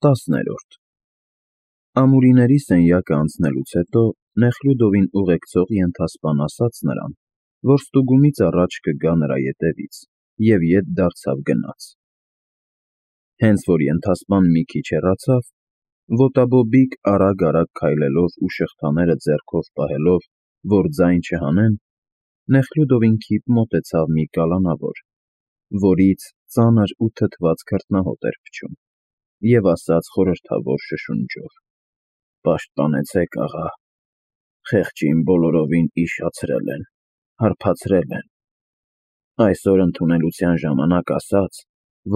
10-րդ Ամուրիների սենյակը անցնելուց հետո Նեխլյուդովին ուղեկցող ենթասպան ասաց նրան, որ ստուգումից առաջ կգա նրա ետևից, և ետ դարձավ գնաց։ Հենց որ ենթասպան մի քիչ հեռացավ, ոտաբոբիկ արագ-արագ քայլելով ու շղթաները ձեռքով պահելով, որ ձայն չհանեն, Նեխլյուդովին քիթ մոտեցավ մի կալանավոր, որից ծանր ու թթված քրտնահոտ էր փչում, և ասաց խորհրդավոր շշունջով. «Պաշտպանեցեք, աղա, խեղճին բոլորովին իշխացրել են, հարբացրել են։ Այսօր ընդունելության ժամանակ ասաց,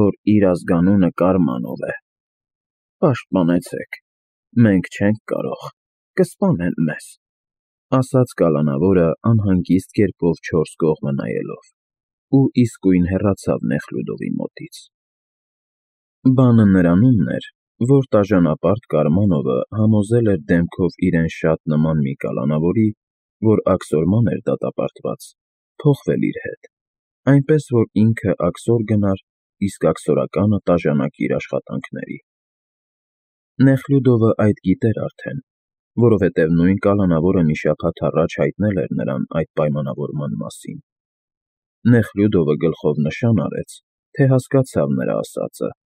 որ իր ազգանունը Կարմանով է։ Պաշտպանեցեք, մենք չենք կարող, կսպանեն մեզ», ասաց կալանավորը անհանգիստ կերպով չորս կողմը նայելով, ու իսկույն հեռացավ Նեխլյուդովի մոտից։ Բանը նրանումն էր, որ տաժանապարտ Կարմանովը համոզել էր դեմքով իրեն շատ նման մի կալանավորի, որ աքսորման էր դատապարտված, փոխվել իր հետ, այնպես որ ինքը աքսոր գնար, իսկ աքսորականը տաժանակի իր աշխատանքների։ Նեխլյուդովը այդ գիտեր արդեն, որովհետև նույն կալանավորը մի շաբաթ առաջ հայտնել էր նրան այդ պայմանավորման մասին։ Նեխլյուդովը գլխով նշան արեց, թե հասկացավ նրա ասածը,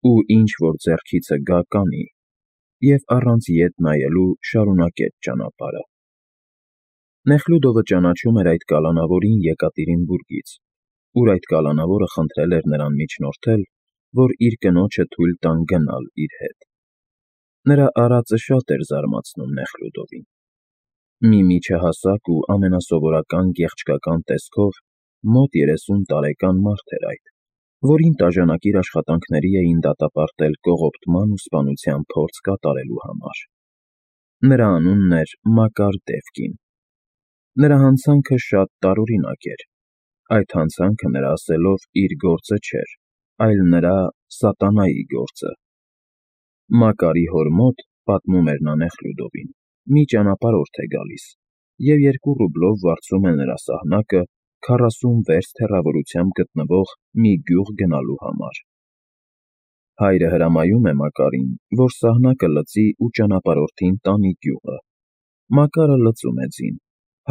ու ինչ որ ձեռքիցը գա կանի, և առանց ետ նայելու շարունակեց ճանապարհը։ Նեխլյուդովը ճանաչում էր այդ կալանավորին Եկատերինբուրգից, ուր այդ կալանավորը խնդրել էր նրան միջնորդել, որ իր կնոջը թույլ տան գնալ իր հետ։ Նրա արածը շատ էր զարմացնում Նեխլյուդովին։ Մի միջահասակ ու ամենասովորական գեղեցկական տեսքով մոտ 30 տարեկան մարդ էր այդ, որին տաժանակիր աշխատանքների էին դատապարտել կողոպտման ու սպանության փորձ կատարելու համար։ Նրա անունն էր Մակար Դևկին։ Նրա հանցանքը շատ տարօրինակ էր։ Այդ հանցանքը նրա ասելով իր գործը չէր, այլ նրա սատանայի գործը։ Մակարի հոր մոտ, պատմում էր նա Նեխլյուդովին, մի ճանապարհորդ է գալիս, և 2 ռուբլով վարձում է նրա սահնակը 40 վերստ հեռավորությամբ գտնվող մի գյուղ գնալու համար։ Հայրը հրամայում է Մակարին, որ սահնակը լցի ու ճանապարհորդին տանի գյուղը։ Մակարը լցում է ձին,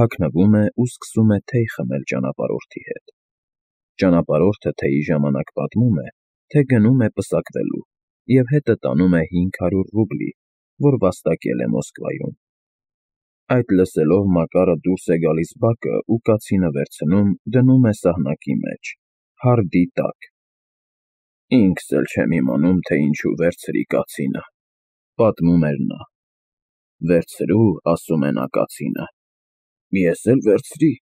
հագնվում է ու սկսում է թեյ խմել ճանապարհորդի հետ։ Ճանապարհորդը թեյի ժամանակ պատմում է, թե գնում է պսակվելու և հետը տանում է 500 ռուբլի, որ վաստակել է Մոսկվայում։ Այդ լսելով Մակարը դուրս է գալիս բակը ու կացինը վերցնում, դնում է սահնակի մեջ, հարդի տակ։ «Ինքս էլ չեմ իմանում, թե ինչու վերցրի կացինը», պատմում էր նա։ «Վերցրու, ասում է նա կացինը, ես էլ վերցրի։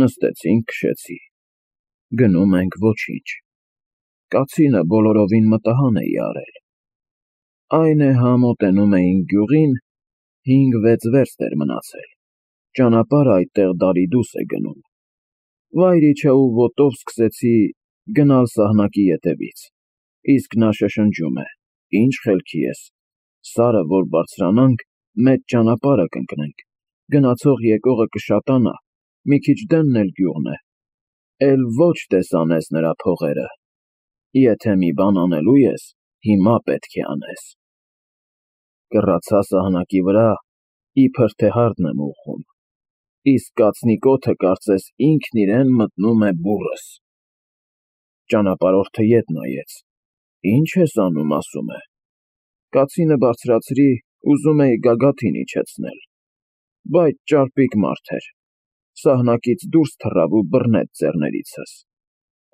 Նստեցինք, քշեցի։ Գնում ենք, ոչինչ։ Կացինը բոլորովին մտահան էի արել։ Այն է հա մոտենում էինք գյուղին, 5-6 վերստ էր մնացել, ճանապարհը այդտեղ դարի-դուս է գնում։ Վայր իջա ու ոտով սկսեցի գնալ սահնակի ետևից, իսկ նա շշնջում է. «Ինչ խելքի ես, Սարը որ բարձրանանք, մեծ ճանապարհը կընկնենք, գնացող եկողը կշատանա, մի քիչ դեմն էլ գյուղն է, էլ ոչ տեսանես նրա փողերը։ Եթե մի բան անելու ես, հիմա պետք է անես»։ Կռացա սահնակի վրա, իբր թե հարդն եմ ուղղում, իսկ կացնի կոթը կարծես ինքն իրեն մտնում է բուռս։ Ճանապարհորդը ետ նայեց. «Ինչ ես անում», ասում է։ Կացինը բարձրացրի, ուզում էի գագաթին իջեցնել, բայց ճարպիկ մարդ էր, սահնակից դուրս թռավ ու բռնեց ձեռներիցս։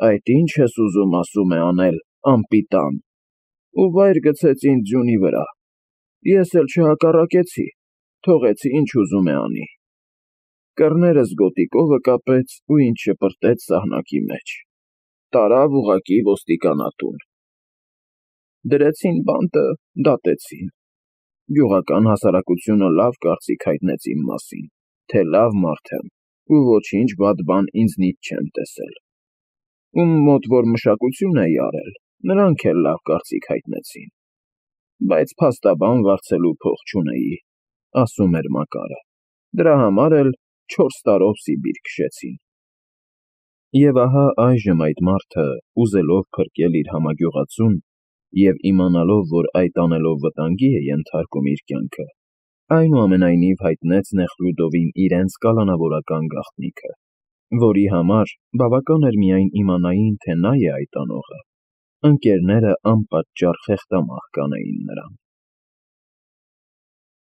«Այդ ի՞նչ ես ուզում», ասում է, «անել, անպիտան», ու վայր գցեց ինձ ձյունի վրա։ Ես էլ չհակառակեցի, թողեցի, ինչ ուզում է անի։ Կռներս գոտիկովը կապեց ու ինձ շպրտեց սահնակի մեջ, տարավ ուղղակի ոստիկանատուն։ Դրեցին բանտը, դատեցին։ Գյուղական հասարակությունը լավ կարծիք հայտնեց իմ մասին, թե լավ մարդ եմ ու ոչինչ վատ բան ինձնից չեմ տեսել։ Ում մոտ որ մշակություն էի արել, նրանք էլ լավ կարծիք հայտնեցին։ Բայց փաստաբան վարձելու փող չունեի», ասում էր Մակարը։ Դրա համար էլ 4 տարով Սիբիր քշեցին։ Եվ ահա այժմ այդ մարդը, ուզելով փրկել իր համագյուղացուն, և իմանալով, որ այդ անելով վտանգի է ենթարկում իր կյանքը, այնուամենայնիվ հայտնեց Նեխլյուդովին իրենց կալանավորական գաղտնիքը, որի համար բավական էր միայն իմանային, թե նա է այդ անողը, ընկերները անպատճառ խեղդամահ կանեին նրան։